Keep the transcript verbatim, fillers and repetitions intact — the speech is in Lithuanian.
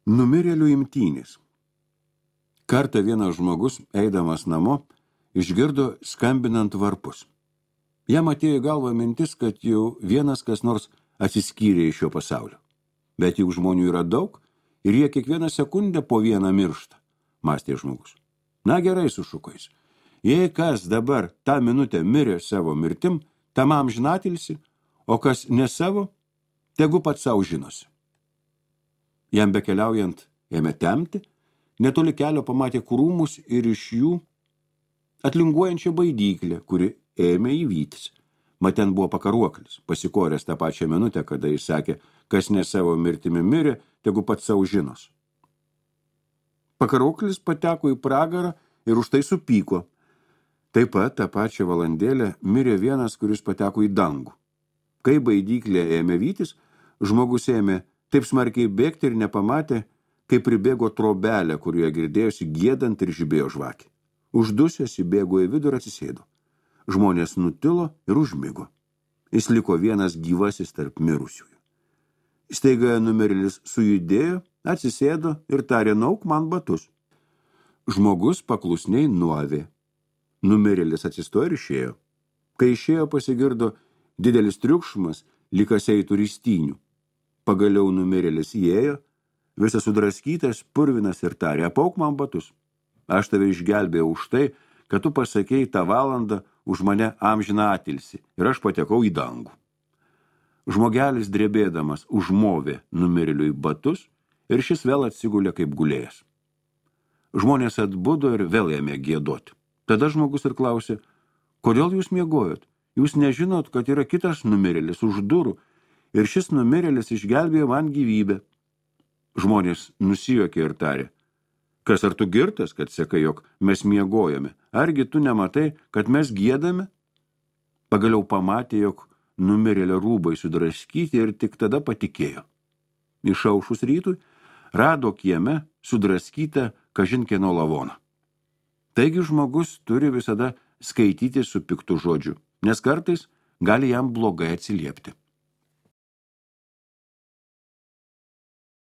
Numirėlių imtynės. Kartą vienas žmogus, eidamas namo, išgirdo skambinant varpus. Jam atėjo į galvą mintis, kad jau vienas kas nors atsiskyrė iš šio pasaulio. Bet juk žmonių yra daug ir jie kiekvieną sekundę po vieną miršta, mąstė žmogus. Na gerai, sušuko jis. Jei kas dabar tą minutę mirė savo mirtim, tam amžinatilsi, o kas ne savo, tegu pats savo žinosi. Jam bekeliaujant ėmė temti, netoli kelio pamatė krūmus ir iš jų atlinguojančią baidyklę, kuri ėmė įvytis. Mat ten buvo pakaruoklis, pasikoręs tą pačią minutę, kada jis sakė, kas ne savo mirtimi mirė, tegu pats savo žinos. Pakaruoklis pateko į pragarą ir už tai supyko. Taip pat tą pačią valandėlę mirė vienas, kuris pateko į dangų. Kai baidyklė ėmė vytis, žmogus ėmė taip smarkiai bėgti ir nepamatė, kai pribėgo trobelė, kurioje girdėjosi giedant ir žibėjo žvakė. Uždusęs įbėgo į vidų ir atsisėdo. Žmonės nutilo ir užmigo. Jis liko vienas gyvasis tarp mirusiųjų. Staiga numirėlis sujudėjo, atsisėdo ir tarė, nauk man batus. Žmogus paklusniai nuavė. Numirėlis atsistojo ir išėjo. Kai išėjo, pasigirdo didelis triukšmas, lyg kas eitų ristynių. Pagaliau numirėlis įėjo, visas sudraskytas, purvinas ir tarė, apauk man batus. Aš tave išgelbėjau už tai, kad tu pasakei tą valandą už mane amžiną atilsį ir aš patekau į dangų. Žmogelis drebėdamas užmovė numirėliui batus ir šis vėl atsigulė kaip gulėjęs. Žmonės atbudo ir vėl ėmė giedoti. Tada žmogus ir klausė, kodėl jūs miegojot? Jūs nežinot, kad yra kitas numirėlis už durų ir šis numirėlis išgelbėjo man gyvybę. Žmonės nusijuokė ir tarė, kas ar tu girtas, kad sakai, jog mes miegojame? Argi tu nematai, kad mes giedame? Pagaliau pamatė, jog numirėlio rūbai sudraskyti ir tik tada patikėjo. Išaušus rytui rado kieme sudraskytą kažinkieno lavoną. Taigi žmogus turi visada skaityti su piktu žodžiu, nes kartais gali jam blogai atsiliepti.